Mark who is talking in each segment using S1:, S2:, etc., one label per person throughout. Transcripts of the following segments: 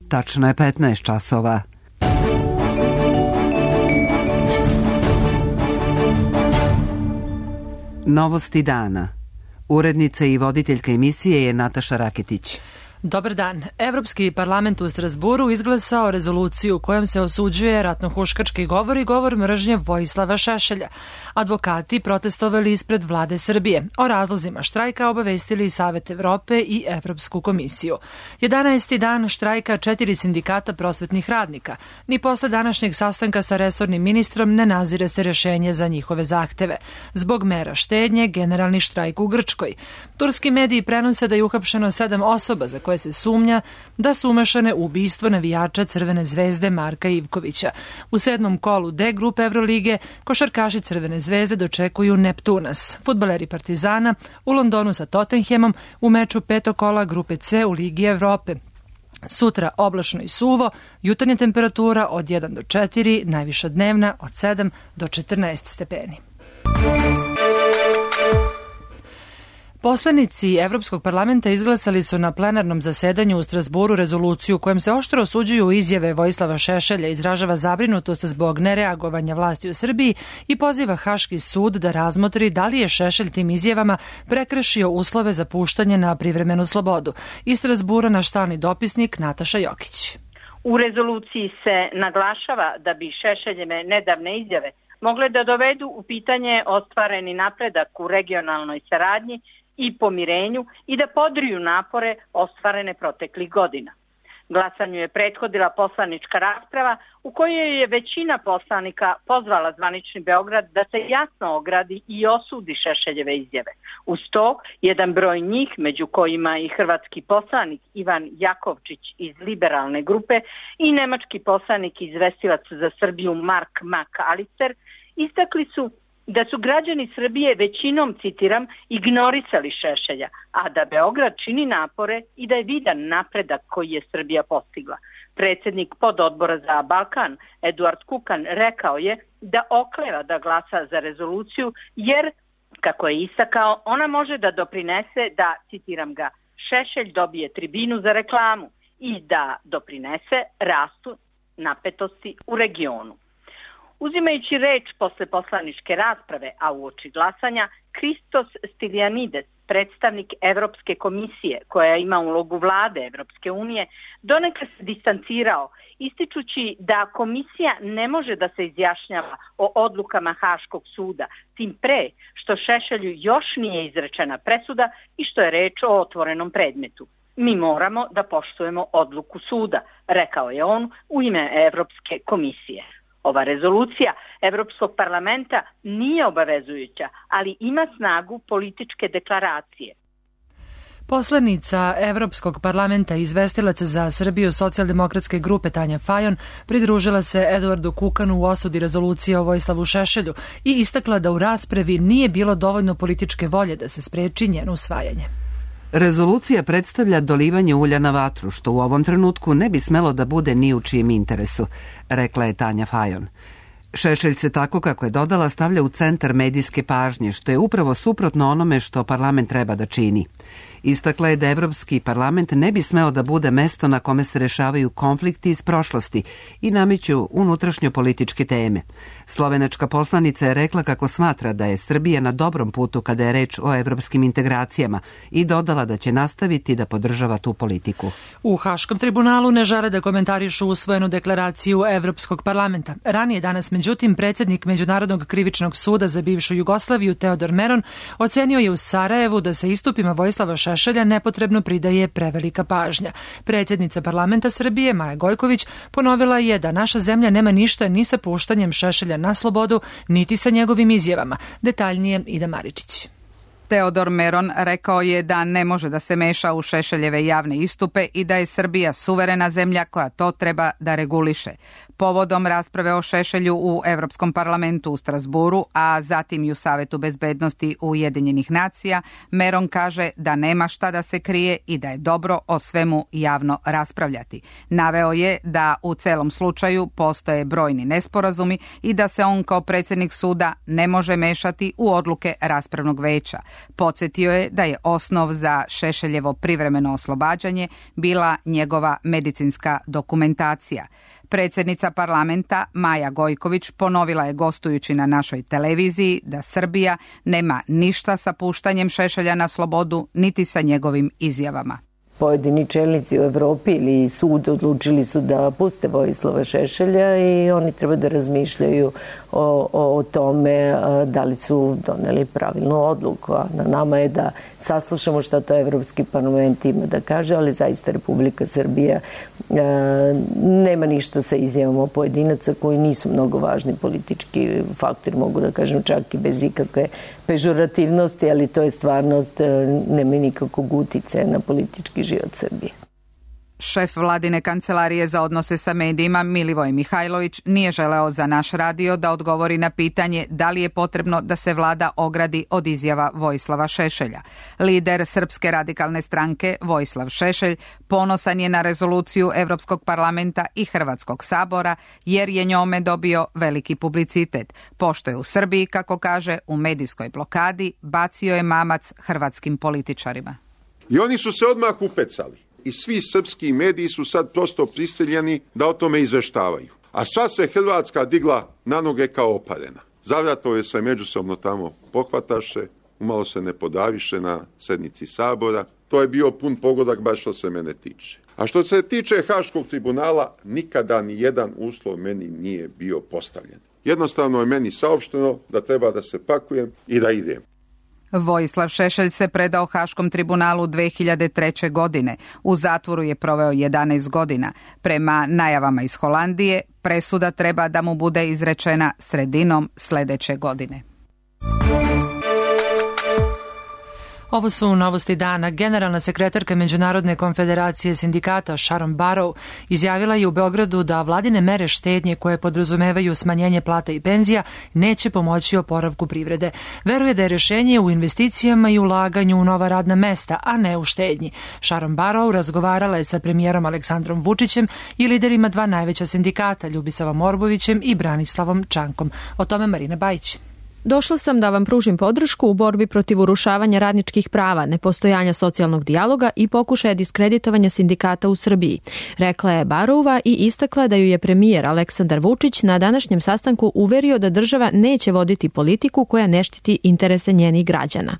S1: Tačno je 15 časova. Novosti dana. Urednica i voditeljka emisije je Nataša Raketić.
S2: Dobar dan. Evropski parlament u Strasburu izglasao rezoluciju kojom se osuđuje ratnohuškački govor i govor mržnje Vojislava Šešelja. Advokati protestovali ispred vlade Srbije. O razlozima štrajka obavestili Savet Evrope i Evropsku komisiju. 11. dan štrajka 4 sindikata prosvetnih radnika. Ni posle današnjeg sastanka sa resornim ministrom ne nazire se rešenje za njihove zahteve. Zbog mera štednje, generalni štrajk u Grčkoj. Turski mediji prenose da je uhapšeno 7 osoba za koje se sumnja da su umešane u ubistvo navijača Crvene zvezde Marka Ivkovića. U 7. kolu D grupe Evrolige košarkaši Crvene zvezde dočekuju Neptunas. Fudbaleri Partizana u Londonu sa Tottenhamom u meču 5. kola grupe C u Ligi Evrope. Sutra oblačno i suvo, jutarnja temperatura od 1 do 4, najviša dnevna od 7 do 14 stepeni. Poslanici Evropskog parlamenta izglasali su na plenarnom zasedanju u Strasburu rezoluciju kojom se oštro osuđuju izjave Vojislava Šešelja, izražava zabrinutost zbog nereagovanja vlasti u Srbiji i poziva Haški sud da razmotri da li je Šešelj tim izjavama prekršio uslove za puštanje na privremenu slobodu. Iz Strasbura naš stalni dopisnik Nataša Jokić.
S3: U rezoluciji se naglašava da bi Šešeljeve nedavne izjave mogle da dovedu u pitanje ostvareni napredak u regionalnoj saradnji i pomirenju i da podriju napore ostvarene proteklih godina. Glasanju je prethodila poslanička rasprava u kojoj je većina poslanika pozvala zvanični Beograd da se jasno ogradi i osudi Šešeljeve izjave. Uz to, jedan broj njih, među kojima i hrvatski poslanik Ivan Jakovčić iz liberalne grupe i nemački poslanik i izvestilac za Srbiju Mark Mak-Alister, istakli su da su građani Srbije većinom, citiram, ignorisali Šešelja, a da Beograd čini napore i da je vidan napredak koji je Srbija postigla. Predsjednik pododbora za Balkan, Eduard Kukan, rekao je da okleva da glasa za rezoluciju jer, kako je istakao, ona može da doprinese da, citiram ga, Šešelj dobije tribinu za reklamu i da doprinese rastu napetosti u regionu. Uzimajući reč posle poslaničke rasprave, a uoči glasanja, Kristos Stylianides, predstavnik Evropske komisije koja ima ulogu vlade Evropske unije, donekle se distancirao, ističući da komisija ne može da se izjašnjava o odlukama Haškog suda, tim pre što Šešelju još nije izrečena presuda i što je reč o otvorenom predmetu. Mi moramo da poštujemo odluku suda, rekao je on u ime Evropske komisije. Ova rezolucija Evropskog parlamenta nije obavezujuća, ali ima snagu političke deklaracije.
S2: Poslanica Evropskog parlamenta i izvestilac za Srbiju socijaldemokratske grupe Tanja Fajon pridružila se Eduardu Kukanu u osudi rezolucije o Vojislavu Šešelju i istakla da u raspravi nije bilo dovoljno političke volje da se spreči njeno usvajanje.
S1: Rezolucija predstavlja dolivanje ulja na vatru, što u ovom trenutku ne bi smelo da bude ni u čijem interesu, rekla je Tanja Fajon. Šešelj se tako, kako je dodala, stavlja u centar medijske pažnje, što je upravo suprotno onome što parlament treba da čini. Istakla je da Evropski parlament ne bi smeo da bude mesto na kome se rešavaju konflikti iz prošlosti i nameću unutrašnjo političke teme. Slovenačka poslanica je rekla kako smatra da je Srbija na dobrom putu kada je reč o evropskim integracijama i dodala da će nastaviti da podržava tu politiku.
S2: U Haškom tribunalu ne žele da komentarišu usvojenu deklaraciju Evropskog parlamenta. Ranije danas, međutim, predsjednik Međunarodnog krivičnog suda za bivšu Jugoslaviju Teodor Meron ocenio je u Sarajevu da se istupima Vojislava Šešelja nepotrebno pridaje prevelika pažnja. Predsjednica parlamenta Srbije Maja Gojković ponovila je da naša zemlja nema ništa ni sa puštanjem Šešelja na slobodu, niti sa njegovim izjavama. Detaljnije Ida Maričić.
S4: Teodor Meron rekao je da ne može da se meša u Šešeljeve javne istupe i da je Srbija suverena zemlja koja to treba da reguliše. Povodom rasprave o Šešelju u Evropskom parlamentu u Strasburu, a zatim i u Savetu bezbednosti Ujedinjenih nacija, Meron kaže da nema šta da se krije i da je dobro o svemu javno raspravljati. Naveo je da u celom slučaju postoje brojni nesporazumi i da se on kao predsjednik suda ne može mešati u odluke raspravnog veća. Podsjetio je da je osnov za Šešeljevo privremeno oslobađanje bila njegova medicinska dokumentacija. Predsjednica parlamenta Maja Gojković ponovila je gostujući na našoj televiziji da Srbija nema ništa sa puštanjem Šešelja na slobodu niti sa njegovim izjavama.
S5: Pojedini čelnici u Evropi ili sud odlučili su da puste Vojislava Šešelja i oni treba da razmišljaju o tome da li su doneli pravilnu odluku. A na nama je da saslušamo šta to Evropski parlament ima da kaže, ali zaista Republika Srbija nema ništa sa izjavama pojedinaca koji nisu mnogo važni politički faktori, mogu da kažem čak i bez ikakve pežorativnosti, ali to je stvarnost, nema nikakvog uticaja na politički život Srbije.
S4: Šef vladine kancelarije za odnose sa medijima Milivoj Mihajlović nije želeo za naš radio da odgovori na pitanje da li je potrebno da se vlada ogradi od izjava Vojislava Šešelja. Lider Srpske radikalne stranke Vojislav Šešelj ponosan je na rezoluciju Evropskog parlamenta i Hrvatskog sabora jer je njome dobio veliki publicitet. Pošto je u Srbiji, kako kaže, u medijskoj blokadi, bacio je mamac hrvatskim političarima.
S6: I oni su se odmah upecali. I svi srpski mediji su sad prosto prisiljeni da o tome izveštavaju. A sva se Hrvatska digla na noge kao oparena. Zavratove se međusobno tamo pohvataše, umalo se ne podaviše na sednici sabora. To je bio pun pogodak baš što se mene tiče. A što se tiče Haškog tribunala, nikada ni jedan uslov meni nije bio postavljen. Jednostavno je meni saopšteno da treba da se pakujem i da idem.
S4: Vojislav Šešelj se predao Haškom tribunalu 2003. godine. U zatvoru je proveo 11 godina. Prema najavama iz Holandije, presuda treba da mu bude izrečena sredinom sljedeće godine.
S2: Ovo su novosti dana. Generalna sekretarka Međunarodne konfederacije sindikata Sharon Barrow izjavila je u Beogradu da vladine mere štednje koje podrazumevaju smanjenje plata i penzija neće pomoći oporavku privrede. Veruje da je rješenje u investicijama i ulaganju u nova radna mesta, a ne u štednji. Sharon Barrow razgovarala je sa premijerom Aleksandrom Vučićem i liderima dva najveća sindikata, Ljubisavom Orbovićem i Branislavom Čankom. O tome Marina Bajić.
S7: Došla sam da vam pružim podršku u borbi protiv urušavanja radničkih prava, nepostojanja socijalnog dijaloga i pokušaja diskreditovanja sindikata u Srbiji, rekla je Barova i istakla da ju je premijer Aleksandar Vučić na današnjem sastanku uverio da država neće voditi politiku koja ne štiti interese njenih građana.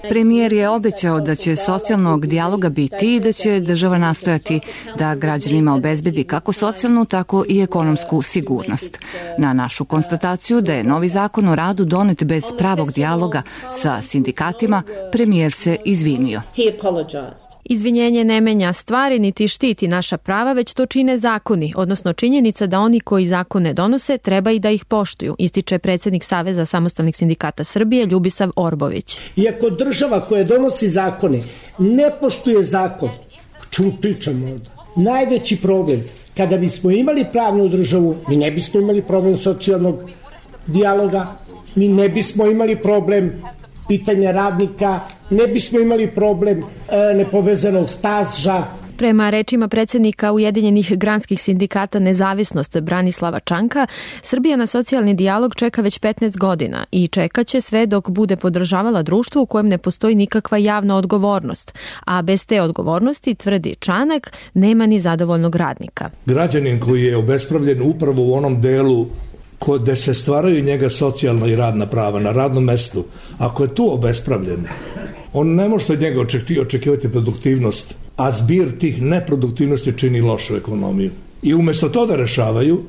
S8: Premijer je obećao da će socijalnog dijaloga biti i da će država nastojati da građanima obezbedi kako socijalnu, tako i ekonomsku sigurnost. Na našu konstataciju da je novi zakon o radu donet bez pravog dijaloga sa sindikatima, premijer se izvinio.
S7: Izvinjenje ne menja stvari niti štiti naša prava, već to čine zakoni, odnosno činjenica da oni koji zakone donose treba i da ih poštuju, ističe predsjednik Saveza samostalnih sindikata Srbije Ljubisav Orbović.
S9: Iako država koja donosi zakone ne poštuje zakon, o čemu pričamo ovdje? Najveći problem, kada bismo imali pravnu državu, mi ne bismo imali problem socijalnog dijaloga, mi ne bismo imali problem pitanja radnika, ne bismo imali problem nepovezanog staža.
S7: Prema rečima predsjednika Ujedinjenih granskih sindikata Nezavisnost Branislava Čanka, Srbija na socijalni dijalog čeka već 15 godina i čekaće sve dok bude podržavala društvo u kojem ne postoji nikakva javna odgovornost, a bez te odgovornosti, tvrdi Čanak, nema ni zadovoljnog radnika.
S10: Građanin koji je obespravljen upravo u onom delu gde se stvaraju njega socijalna i radna prava na radnom mestu, ako je tu obespravljen, on ne može od njega očekivati produktivnost, a zbir tih neproduktivnosti čini lošu ekonomiju. I umjesto to da rešavaju,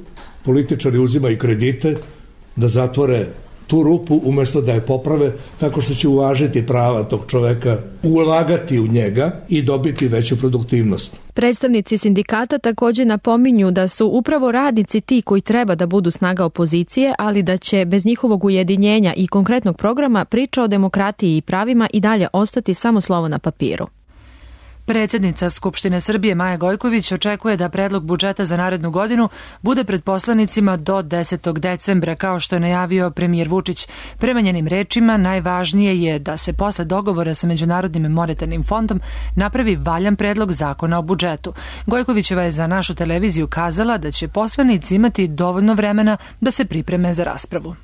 S10: političari uzimaju kredite da zatvore tu rupu umjesto da je poprave tako što će uvažiti prava tog čoveka, ulagati u njega i dobiti veću produktivnost.
S7: Predstavnici sindikata također napominju da su upravo radnici ti koji treba da budu snaga opozicije, ali da će bez njihovog ujedinjenja i konkretnog programa priča o demokratiji i pravima i dalje ostati samo slovo na papiru.
S2: Predsjednica Skupštine Srbije Maja Gojković očekuje da predlog budžeta za narednu godinu bude pred poslanicima do 10. decembra, kao što je najavio premijer Vučić. Prema njenim rečima, najvažnije je da se posle dogovora sa Međunarodnim monetarnim fondom napravi valjan predlog zakona o budžetu. Gojkovićeva je za našu televiziju kazala da će poslanici imati dovoljno vremena da se pripreme za raspravu.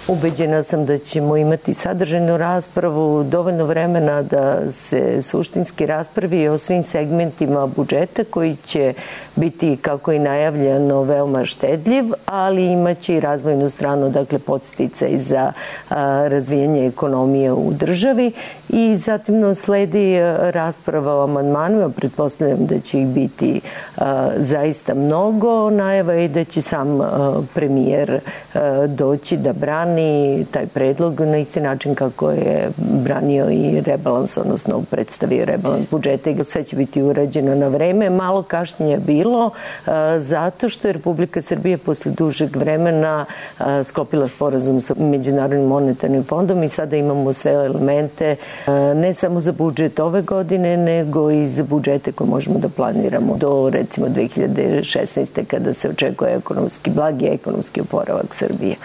S5: Ubeđena sam da ćemo imati sadržajnu raspravu, dovoljno vremena da se suštinski raspravi o svim segmentima budžeta koji će biti, kako i najavljeno, veoma štedljiv, ali imaće i razvojnu stranu, dakle podsticaj za razvijanje ekonomije u državi i zatim sledi rasprava o amandmanima, pretpostavljam da će ih biti zaista mnogo, najava i da će sam premijer doći da brani taj predlog na isti način kako je branio i rebalans, odnosno predstavio rebalans budžeta i sve će biti urađeno na vreme. Malo kašnjenja bilo zato što je Republika Srbija posle dužeg vremena sklopila sporazum sa Međunarodnim monetarnim fondom i sada imamo sve elemente ne samo za budžet ove godine, nego i za budžete koje možemo da planiramo do recimo 2016. kada se očekuje blagi ekonomski oporavak Srbije.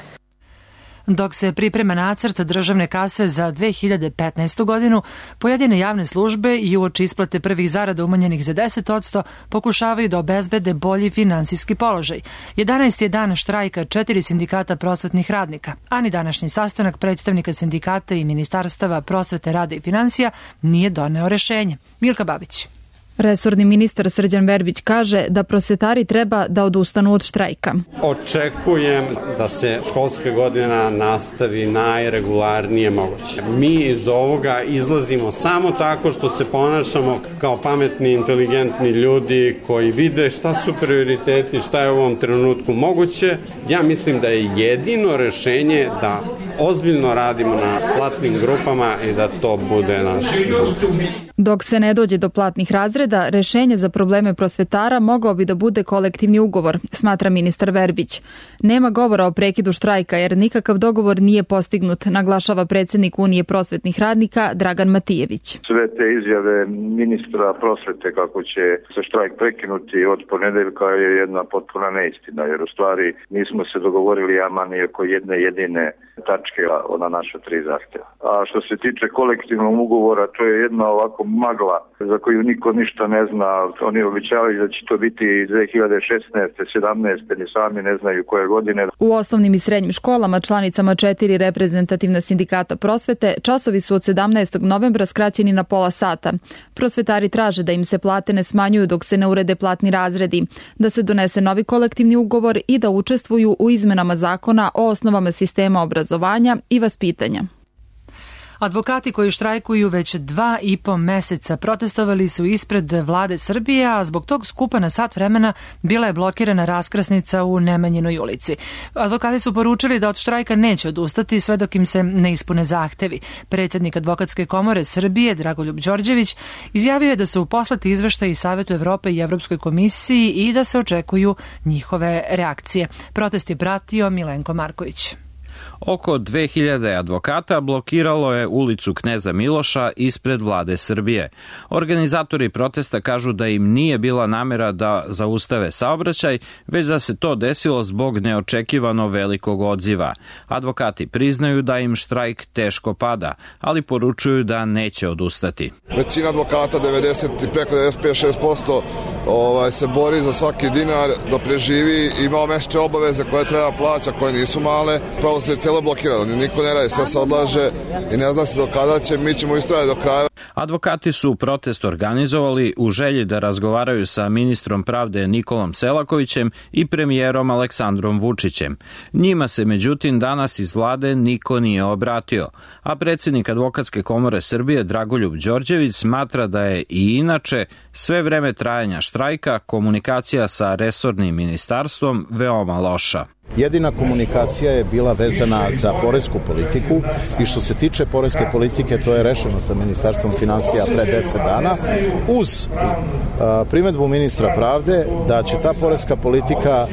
S2: Dok se priprema nacrt državne kase za 2015. godinu, pojedine javne službe i uoči isplate prvih zarada umanjenih za 10% pokušavaju da obezbede bolji finansijski položaj. 11. je dan štrajka 4 sindikata prosvetnih radnika, a ni današnji sastanak predstavnika sindikata i ministarstava prosvete, rada i finansija nije doneo rešenje. Milka Babić.
S11: Resorni ministar Srđan Verbić kaže da prosvetari treba da odustanu od štrajka.
S12: Očekujem da se školska godina nastavi najregularnije moguće. Mi iz ovoga izlazimo samo tako što se ponašamo kao pametni, inteligentni ljudi koji vide šta su prioriteti, šta je u ovom trenutku moguće. Ja mislim da je jedino rešenje da ozbiljno radimo na platnim grupama i da to bude naš izbor.
S11: Dok se ne dođe do platnih razreda, rešenje za probleme prosvetara mogao bi da bude kolektivni ugovor, smatra ministar Verbić. Nema govora o prekidu štrajka jer nikakav dogovor nije postignut, naglašava predsednik Unije prosvetnih radnika Dragan Matijević.
S13: Sve te izjave ministra prosvete kako će se štrajk prekinuti od ponedeljka je jedna potpuna neistina, jer u stvari nismo se dogovorili ni oko jedne jedine tačke na naša 3 zahtjeva. A što se tiče kolektivnog ugovora, to je jedna ovako magla za koju niko ništa ne zna. Oni obećavaju da će to biti 2016. 17. ni sami ne znaju koje godine.
S11: U osnovnim i srednjim školama, članicama 4 reprezentativna sindikata prosvete, časovi su od 17. novembra skraćeni na pola sata. Prosvetari traže da im se plate ne smanjuju dok se ne urede platni razredi, da se donese novi kolektivni ugovor i da učestvuju u izmenama zakona o osnovama sistema obrazovanja i vaspitanja.
S2: Advokati koji štrajkuju već 2,5 meseca protestovali su ispred vlade Srbije, a zbog tog skupa na sat vremena bila je blokirana raskrsnica u Nemanjinoj ulici. Advokati su poručili da od štrajka neće odustati sve dok im se ne ispune zahtevi. Predsjednik Advokatske komore Srbije, Dragoljub Đorđević, izjavio je da su poslati izveštaji Savetu Evrope i Evropskoj komisiji i da se očekuju njihove reakcije. Protest je pratio Milenko Marković.
S14: Oko 2000 advokata blokiralo je ulicu Kneza Miloša ispred vlade Srbije. Organizatori protesta kažu da im nije bila namera da zaustave saobraćaj, već da se to desilo zbog neočekivano velikog odziva. Advokati priznaju da im štrajk teško pada, ali poručuju da neće odustati.
S15: Većina advokata, 90 i preko 95% se bori za svaki dinar da preživi, ima mesečne obaveze koje treba plaća, koje nisu male. Pravo se celo blokirano, niko ne radi, sve se odlaže i ne zna se do kada će, mi ćemo istrajati do kraja.
S14: Advokati su protest organizovali u želji da razgovaraju sa ministrom pravde Nikolom Selakovićem i premijerom Aleksandrom Vučićem. Njima se međutim danas iz vlade niko nije obratio, a predsjednik Advokatske komore Srbije Dragoljub Đorđević smatra da je i inače sve vreme trajanja štrajka komunikacija sa resornim ministarstvom veoma loša.
S16: Jedina komunikacija je bila vezana za poresku politiku i što se tiče poreske politike to je rešeno sa Ministarstvom finansija pre 10 dana uz primedbu ministra pravde da će ta poreska politika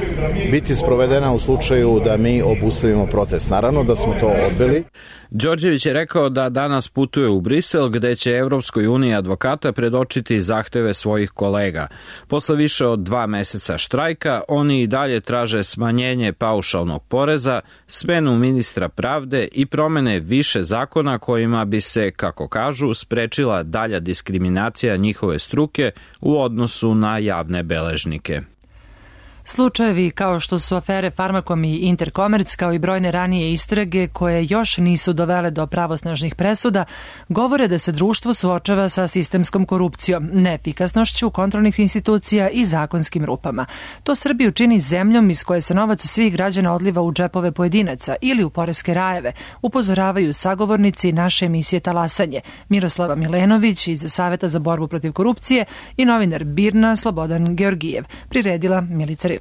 S16: biti sprovedena u slučaju da mi obustavimo protest. Naravno da smo to odbili.
S14: Đorđević je rekao da danas putuje u Brisel gde će Evropskoj uniji advokata predočiti zahteve svojih kolega. Posle više od 2 meseca štrajka oni i dalje traže smanjenje paušalnog poreza, smenu ministra pravde i promene više zakona kojima bi se, kako kažu, sprečila dalja diskriminacija njihove struke u odnosu na javne beležnike.
S2: Slučajevi kao što su afere Farmakom i Interkomerc, kao i brojne ranije istrage koje još nisu dovele do pravosnažnih presuda, govore da se društvo suočava sa sistemskom korupcijom, neefikasnošću kontrolnih institucija i zakonskim rupama. To Srbiju čini zemljom iz koje se novac svih građana odliva u džepove pojedinaca ili u poreske rajeve, upozoravaju sagovornici naše emisije Talasanje, Miroslava Milenović iz Saveta za borbu protiv korupcije i novinar BIRN-a Slobodan Georgijev, priredila Milica Rilak.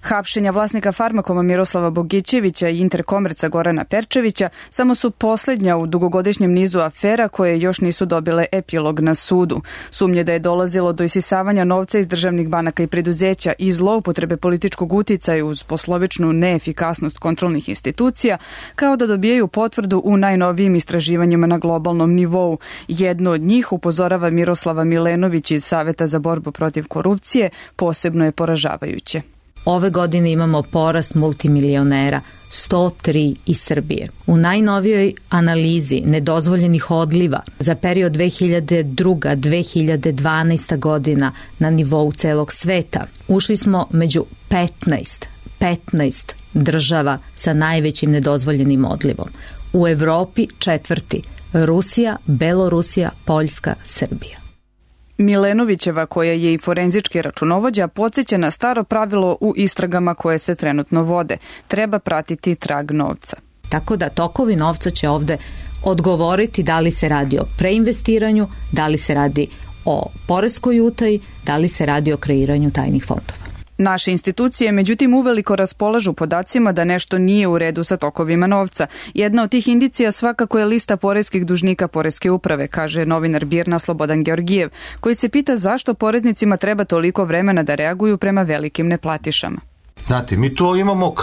S17: Hapšenja vlasnika Farmakoma Miroslava Bogićevića i Interkomerca Gorana Perčevića samo su posljednja u dugogodišnjem nizu afera koje još nisu dobile epilog na sudu. Sumnje da je dolazilo do isisavanja novca iz državnih banaka i preduzeća i zloupotrebe političkog uticaja uz poslovičnu neefikasnost kontrolnih institucija, kao da dobijaju potvrdu u najnovijim istraživanjima na globalnom nivou. Jedno od njih, upozorava Miroslava Milenović iz Saveta za borbu protiv korupcije, posebno je poražavajuće.
S18: Ove godine imamo porast multimilionera, 103 iz Srbije. U najnovijoj analizi nedozvoljenih odliva za period 2002-2012 godina na nivou celog sveta ušli smo među 15 država sa najvećim nedozvoljenim odlivom. U Evropi 4. Rusija, Belorusija, Poljska, Srbija.
S17: Milenovićeva, koja je i forenzički računovođa, podsjeća na staro pravilo u istragama koje se trenutno vode. Treba pratiti trag novca.
S18: Tako da tokovi novca će ovde odgovoriti da li se radi o preinvestiranju, da li se radi o poreskoj utaji, da li se radi o kreiranju tajnih fondova.
S17: Naše institucije, međutim, uveliko raspolažu podacima da nešto nije u redu sa tokovima novca. Jedna od tih indicija svakako je lista poreskih dužnika Poreske uprave, kaže novinar BIRN-a Slobodan Georgijev, koji se pita zašto poreznicima treba toliko vremena da reaguju prema velikim neplatišama.
S19: Znate, mi to imamo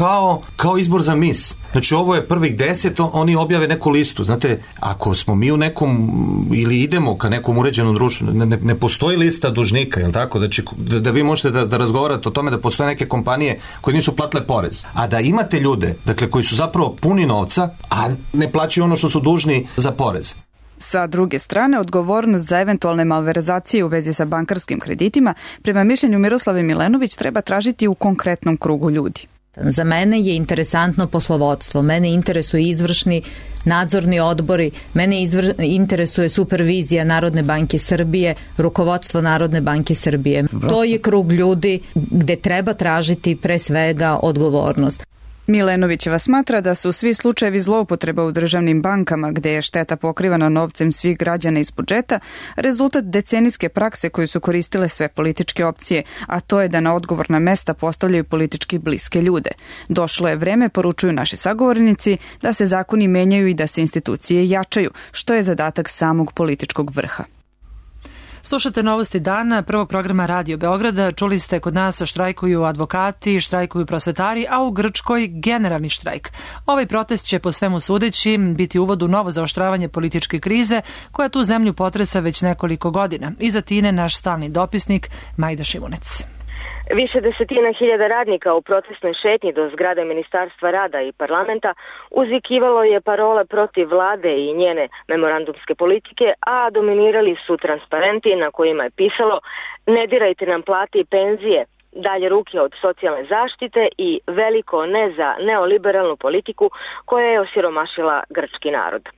S19: kao izbor za mis. Znači, ovo je prvih 10, oni objave neku listu. Znate, ako smo mi u nekom, ili idemo ka nekom uređenom društvu, ne postoji lista dužnika, jel tako? Znači, da vi možete da razgovarate o tome da postoje neke kompanije koje nisu platile porez. A da imate ljude, dakle, koji su zapravo puni novca, a ne plaćaju ono što su dužni za porez.
S17: Sa druge strane, odgovornost za eventualne malverzacije u vezi sa bankarskim kreditima, prema mišljenju Miroslave Milenović, treba tražiti u konkretnom krugu ljudi.
S18: Za mene je interesantno poslovodstvo, mene interesuje izvršni nadzorni odbori, mene interesuje supervizija Narodne banke Srbije, rukovodstvo Narodne banke Srbije. To je krug ljudi gde treba tražiti pre svega odgovornost.
S17: Milenovićeva smatra da su svi slučajevi zloupotreba u državnim bankama, gde je šteta pokrivana novcem svih građana iz budžeta, rezultat decenijske prakse koju su koristile sve političke opcije, a to je da na odgovorna mesta postavljaju politički bliske ljude. Došlo je vreme, poručuju naši sagovornici, da se zakoni menjaju i da se institucije jačaju, što je zadatak samog političkog vrha.
S2: Slušate novosti dana prvog programa Radio Beograda. Čuli ste, kod nas štrajkuju advokati, štrajkuju prosvetari, a u Grčkoj generalni štrajk. Ovaj protest će po svemu sudeći biti uvod u novo zaoštravanje političke krize koja tu zemlju potresa već nekoliko godina. Iz Atine naš stalni dopisnik Majda Šimunec.
S20: Više desetina hiljada radnika u protestnoj šetnji do zgrade Ministarstva rada i parlamenta uzvikivalo je parole protiv vlade i njene memorandumske politike, a dominirali su transparenti na kojima je pisalo "Ne dirajte nam plate i penzije", "Dalje ruke od socijalne zaštite" i "Veliko ne za neoliberalnu politiku koja je osiromašila grčki narod.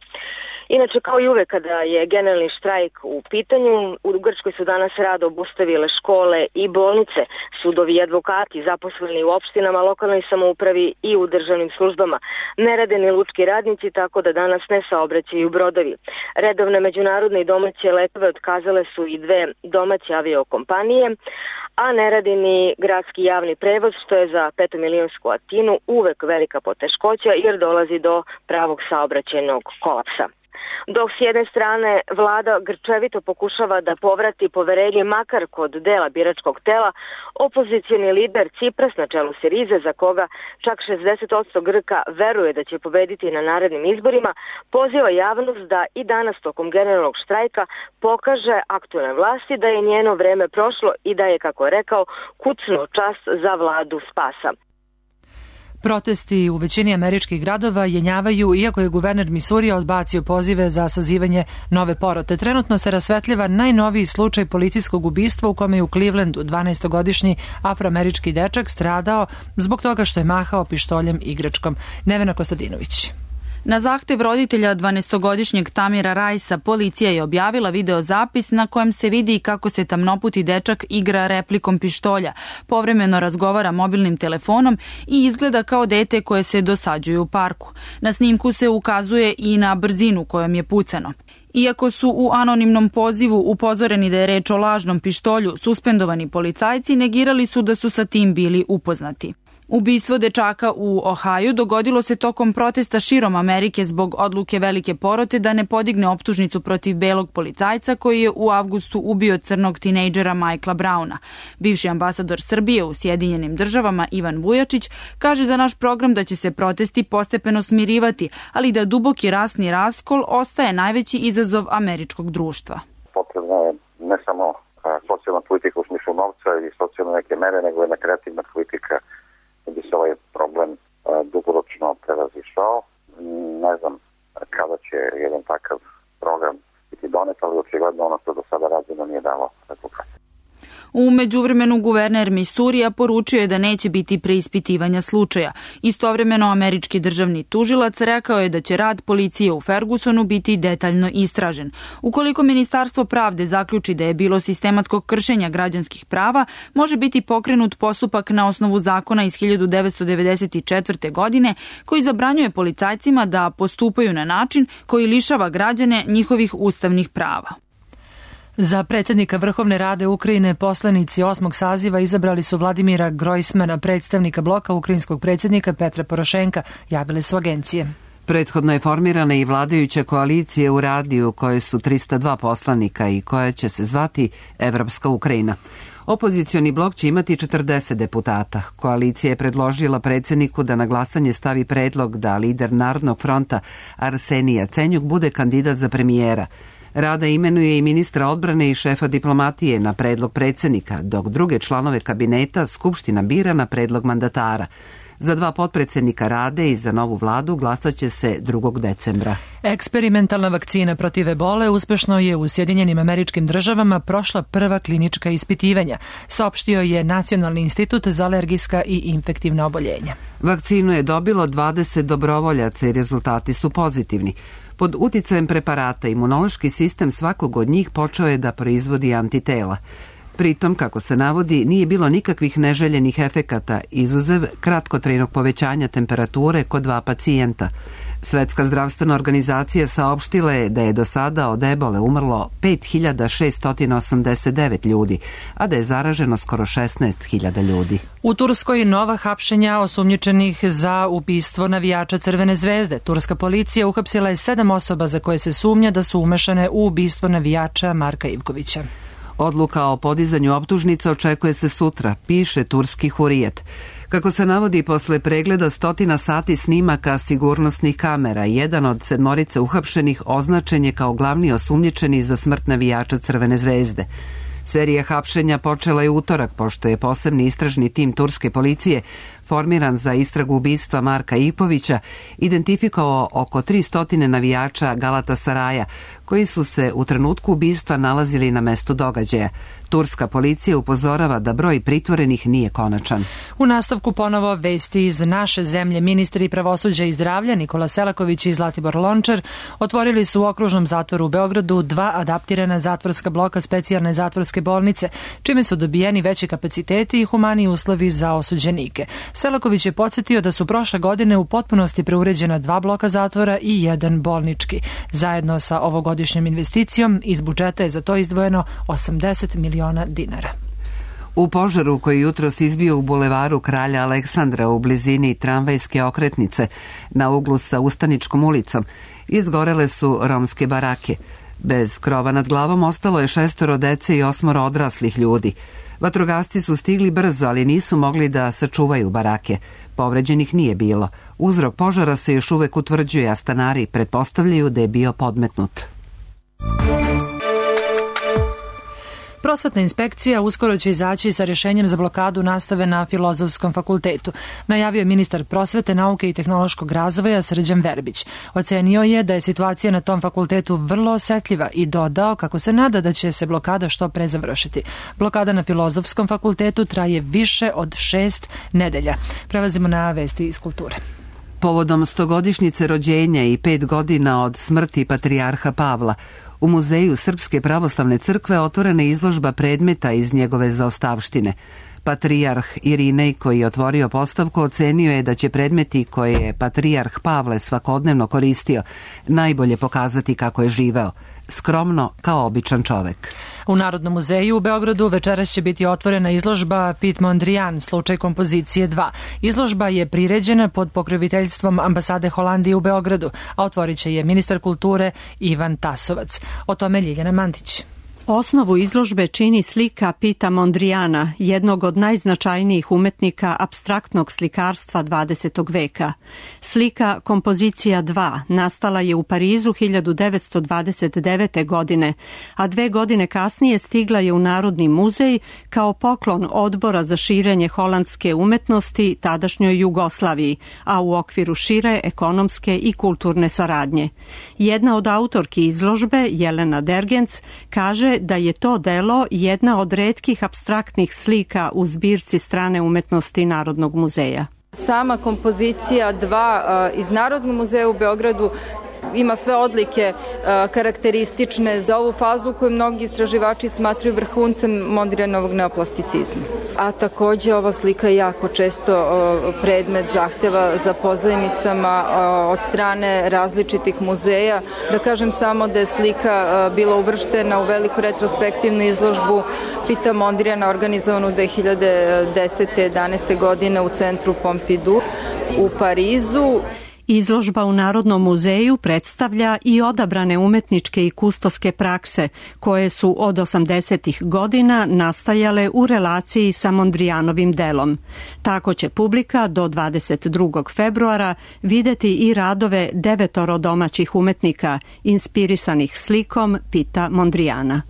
S20: Inače, kao i uvek kada je generalni štrajk u pitanju, u Grčkoj su danas rad obustavile škole i bolnice, sudovi i advokati zaposleni u opštinama, lokalnoj samoupravi i u državnim službama. Ne rade ni lučki radnici, tako da danas ne saobraćaju brodovi. Redovne međunarodne i domaće letove otkazale su i dve domaće aviokompanije, a ne radi ni gradski javni prevoz, što je za 5-milionsku Atinu uvek velika poteškoća jer dolazi do pravog saobraćajnog kolapsa. Dok s jedne strane vlada grčevito pokušava da povrati poverenje makar kod dela biračkog tela, opozicioni lider Cipras na čelu Sirize, za koga čak 60% Grka veruje da će pobediti na narednim izborima, poziva javnost da i danas tokom generalnog štrajka pokaže aktualne vlasti da je njeno vreme prošlo i da je, kako je rekao, kucnuo čas za vladu spasa.
S2: Protesti u većini američkih gradova jenjavaju, iako je guverner Misurija odbacio pozive za sazivanje nove porote. Trenutno se rasvetljava najnoviji slučaj policijskog ubistva u kome je u Clevelandu 12-godišnji afroamerički dečak stradao zbog toga što je mahao pištoljem igračkom. Nevena Kostadinović.
S21: Na zahtev roditelja 12-godišnjeg Tamira Rajsa, policija je objavila videozapis na kojem se vidi kako se tamnoputi dečak igra replikom pištolja, povremeno razgovara mobilnim telefonom i izgleda kao dete koje se dosađuje u parku. Na snimku se ukazuje i na brzinu kojom je pucano. Iako su u anonimnom pozivu upozoreni da je reč o lažnom pištolju, suspendovani policajci negirali su da su sa tim bili upoznati. Ubistvo dečaka u Ohaju dogodilo se tokom protesta širom Amerike zbog odluke velike porote da ne podigne optužnicu protiv belog policajca koji je u avgustu ubio crnog tinejdžera Michaela Browna. Bivši ambasador Srbije u Sjedinjenim državama Ivan Vujačić kaže za naš program da će se protesti postepeno smirivati, ali da duboki rasni raskol ostaje najveći izazov američkog društva.
S22: Potrebna je ne samo socijalna politika u smislu novca i socijalne neke mere, nego jedna kreativna politika da bi se ovaj problem dugoročno prevazišao. Ne znam kada će jedan takav program biti donet, ali očigledno ono što do sada rađeno nije dalo rezultat.
S21: U međuvremenu guverner Misurija poručio je da neće biti preispitivanja slučaja. Istovremeno američki državni tužilac rekao je da će rad policije u Fergusonu biti detaljno istražen. Ukoliko Ministarstvo pravde zaključi da je bilo sistematskog kršenja građanskih prava, može biti pokrenut postupak na osnovu zakona iz 1994. godine koji zabranjuje policajcima da postupaju na način koji lišava građane njihovih ustavnih prava.
S2: Za predsjednika Vrhovne rade Ukrajine poslanici 8. saziva izabrali su Vladimira Grojsmana, predstavnika bloka ukrajinskog predsjednika Petra Porošenka, javile su agencije.
S1: Prethodno je formirana i vladajuća koalicija u radiju u kojoj su 302 poslanika i koja će se zvati Evropska Ukrajina. Opozicioni blok će imati 40 deputata. Koalicija je predložila predsjedniku da na glasanje stavi predlog da lider Narodnog fronta Arsenij Jacenjuk bude kandidat za premijera. Rada imenuje i ministra odbrane i šefa diplomatije na predlog predsjednika, dok druge članove kabineta Skupština bira na predlog mandatara. Za 2 potpredsjednika Rade i za novu vladu glasat će se 2. decembra.
S2: Eksperimentalna vakcina protiv ebole uspešno je u Sjedinjenim Američkim Državama prošla prva klinička ispitivanja, saopštio je Nacionalni institut za alergijska i infektivna oboljenja.
S1: Vakcinu je dobilo 20 dobrovoljaca i rezultati su pozitivni. Pod uticajem preparata imunološki sistem svakog od njih počeo je da proizvodi antitela. Pritom, kako se navodi, nije bilo nikakvih neželjenih efekata, izuzev kratkotrajnog povećanja temperature kod 2 pacijenta. Svetska zdravstvena organizacija saopštila je da je do sada od ebole umrlo 5689 ljudi, a da je zaraženo skoro 16.000 ljudi.
S2: U Turskoj nova hapšenja osumnjičenih za ubistvo navijača Crvene zvezde. Turska policija uhapsila je 7 osoba za koje se sumnja da su umešane u ubistvo navijača Marka Ivkovića.
S1: Odluka o podizanju optužnica očekuje se sutra, piše turski Hurijet. Kako se navodi, posle pregleda 100 sati snimaka sigurnosnih kamera, jedan od 7 uhapšenih označen je kao glavni osumnjičeni za smrt navijača Crvene zvezde. Serija hapšenja počela je utorak, pošto je posebni istražni tim turske policije formiran za istragu ubistva Marka Ivkovića identifikovao oko 300 navijača Galatasaraja, koji su se u trenutku ubistva nalazili na mestu događaja. Turska policija upozorava da broj pritvorenih nije konačan.
S2: U nastavku ponovo vesti iz naše zemlje. Ministri pravosuđa i zdravlja Nikola Selaković i Zlatibor Lončar otvorili su u okružnom zatvoru u Beogradu 2 adaptirana zatvorska bloka specijalne zatvorske bolnice, čime su dobijeni veći kapaciteti i humaniji uslovi za osuđenike. Selaković je podsjetio da su prošle godine u potpunosti preuređena 2 bloka zatvora i 1 bolnički. Zajedno sa ovogodišnjom investicijom iz budžeta je za to izdvojeno 80 miliona dinara.
S1: U požaru koji jutros izbio u bulevaru Kralja Aleksandra u blizini tramvajske okretnice na uglu sa Ustaničkom ulicom izgorele su romske barake. Bez krova nad glavom ostalo je 6 dece i 8 odraslih ljudi. Vatrogasci su stigli brzo, ali nisu mogli da sačuvaju barake. Povređenih nije bilo. Uzrok požara se još uvek utvrđuje, a stanari pretpostavljaju da je bio podmetnut.
S2: Prosvetna inspekcija uskoro će izaći sa rješenjem za blokadu nastave na Filozofskom fakultetu, najavio je ministar prosvete, nauke i tehnološkog razvoja Srđan Verbić. Ocenio je da je situacija na tom fakultetu vrlo osetljiva i dodao kako se nada da će se blokada što pre završiti. Blokada na Filozofskom fakultetu traje više od 6 nedelja. Prelazimo na vesti iz kulture.
S1: Povodom 100-godišnjice rođenja i 5 godina od smrti patrijarha Pavla, u Muzeju Srpske pravoslavne crkve otvorena je izložba predmeta iz njegove zaostavštine. Patrijarh Irinej, koji je otvorio postavku, ocenio je da će predmeti koje je patrijarh Pavle svakodnevno koristio najbolje pokazati kako je živeo, skromno kao običan čovek.
S2: U Narodnom muzeju u Beogradu večeras će biti otvorena izložba Pit Mondrian, slučaj kompozicije 2. Izložba je priređena pod pokroviteljstvom ambasade Holandije u Beogradu, a otvorit će je ministar kulture Ivan Tasovac. O tome Ljiljana Mantić.
S3: Osnovu izložbe čini slika Pita Mondriana, jednog od najznačajnijih umetnika apstraktnog slikarstva 20. veka. Slika Kompozicija 2 nastala je u Parizu 1929. godine, a 2 godine kasnije stigla je u Narodni muzej kao poklon Odbora za širenje holandske umetnosti tadašnjoj Jugoslaviji, a u okviru šire ekonomske i kulturne saradnje. Jedna od autorki izložbe, Jelena Dergenc, kaže da je to delo jedna od retkih apstraktnih slika u zbirci strane umetnosti Narodnog muzeja.
S6: Sama kompozicija 2 iz Narodnog muzeja u Beogradu ima sve odlike karakteristične za ovu fazu koju mnogi istraživači smatraju vrhuncem Mondrianovog neoplasticizma. A takođe ova slika je jako često predmet zahteva za pozajmicama od strane različitih muzeja. Da kažem samo da je slika bila uvrštena u veliku retrospektivnu izložbu Pita Mondriana organizovanu 2010-11. godine u centru Pompidou u Parizu.
S3: Izložba u Narodnom muzeju predstavlja i odabrane umetničke i kustoske prakse koje su od 80. godina nastajale u relaciji sa Mondrianovim delom. Tako će publika do 22. februara videti i radove 9 domaćih umetnika inspirisanih slikom Pita Mondriana.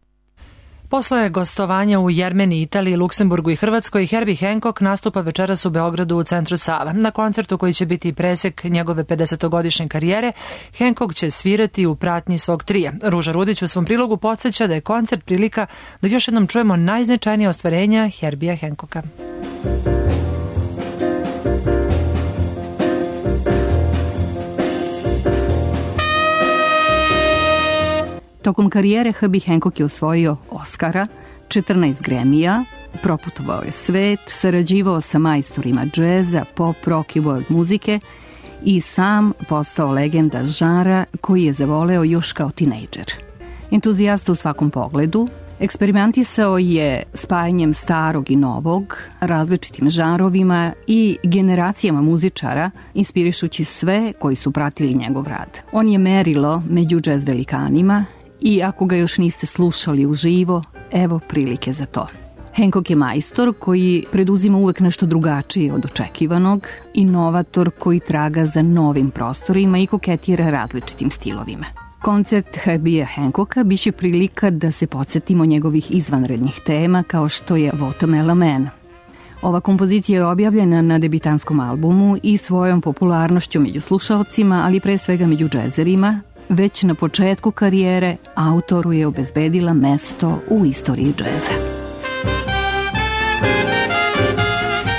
S2: Posle gostovanja u Jermeniji, Italiji, Luksemburgu i Hrvatskoj, Herbie Hancock nastupa večeras u Beogradu u centru Sava. Na koncertu koji će biti presek njegove 50-godišnje karijere, Hancock će svirati u pratnji svog trija. Ruža Rudić u svom prilogu podsjeća da je koncert prilika da još jednom čujemo najznačajnije ostvarenja Herbija Hancocka.
S23: Tokom karijere Herbie Hancock je osvojio Oscara, 14 Grammy-a, proputovao je svet, sarađivao sa majstorima džeza, pop, rock i world muzike i sam postao legenda žanra koji je zavoleo još kao tinejdžer. Entuzijasta u svakom pogledu, eksperimentisao je spajanjem starog i novog, različitim žanrovima i generacijama muzičara, inspirišući sve koji su pratili njegov rad. On je merilo među džez velikanima i ako ga još niste slušali uživo, evo prilike za to. Hancock je majstor koji preduzima uvek nešto drugačije od očekivanog, inovator koji traga za novim prostorima i koketira različitim stilovima. Koncert Herbija Hancocka biće prilika da se podsjetimo njegovih izvanrednih tema kao što je Watermelon Man. Ova kompozicija je objavljena na debitanskom albumu i svojom popularnošću među slušalcima, ali pre svega među džezerima, već na početku karijere autoru je obezbedila mesto u istoriji džeza.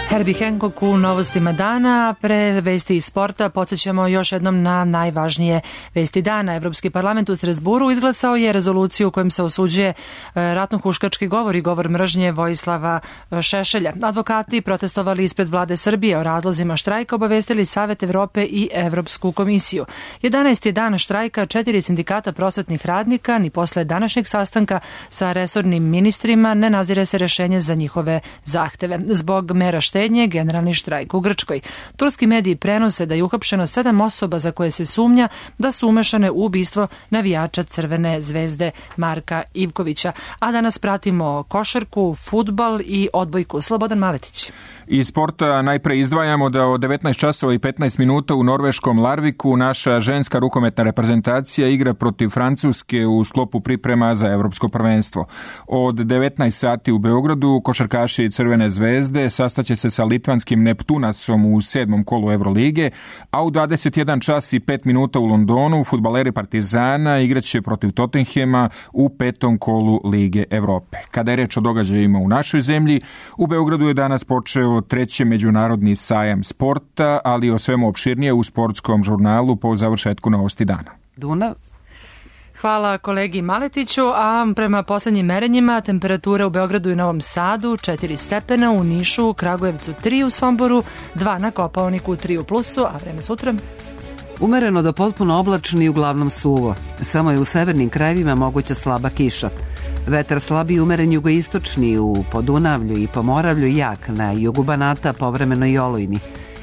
S2: Herbie Hancock u novostima dana. Pre vesti iz sporta podsjećamo još jednom na najvažnije vesti dana. Evropski parlament u Strazburu izglasao je rezoluciju u kojem se osuđuje ratno-huškački govor i govor mržnje Vojislava Šešelja. Advokati protestovali ispred vlade Srbije o razlozima štrajka, obavestili Savet Evrope i Evropsku komisiju. 11. je dan štrajka 4 sindikata prosvetnih radnika, ni posle današnjeg sastanka sa resornim ministrima ne nazire se rešenje za njihove zahteve. Zbog mera štednje počinje generalni štrajk u Grčkoj. Turski mediji prenose da je uhapšeno 7 osoba za koje se sumnja da su umešane u ubistvo navijača Crvene zvezde Marka Ivkovića. A danas pratimo košarku, fudbal i odbojku. Slobodan Maletić.
S4: Iz sporta najpre izdvajamo da od 19 časova i 15 minuta u norveškom Larviku naša ženska rukometna reprezentacija igra protiv Francuske u sklopu priprema za evropsko prvenstvo. Od 19 sati u Beogradu košarkaši Crvene zvezde sastaće se sa litvanskim Neptunasom u 7. kolu Evrolige, a u 21 čas i 5 minuta u Londonu fudbaleri Partizana igraće protiv Tottenhema u 5. kolu Lige Evrope. Kada je reč o događajima u našoj zemlji, u Beogradu je danas počeo 3. međunarodni sajam sporta, ali o svemu opširnije u sportskom žurnalu po završetku novosti dana.
S1: Dunav.
S2: Hvala kolegi Maletiću, a prema poslednjim merenjima temperatura u Beogradu i Novom Sadu 4 stepena, u Nišu, Kragujevcu 3, u Somboru 2, na Kopaoniku 3 u plusu, a vreme sutra?
S1: Umereno do potpuno oblačno i uglavnom suvo. Samo je u severnim krajevima moguća slaba kiša. Vetar slabi umeren jugoistočni u Podunavlju i Pomoravlju, jak na jugu Banata, povremeno i olujni.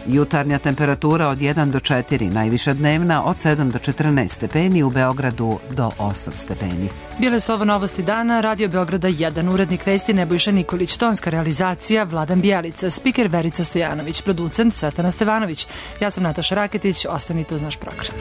S1: Jutarnja temperatura od 1 do 4, najviša dnevna od 7 do 14 stepeni, u Beogradu do 8 stepeni.
S2: Bile su ovo novosti dana, Radio Beograda 1, urednik vesti Nebojša Nikolić, tonska realizacija Vladan Bijelica, spiker Verica Stojanović, producent Svetana Stevanović. Ja sam Nataša Raketić, ostanite uz naš program.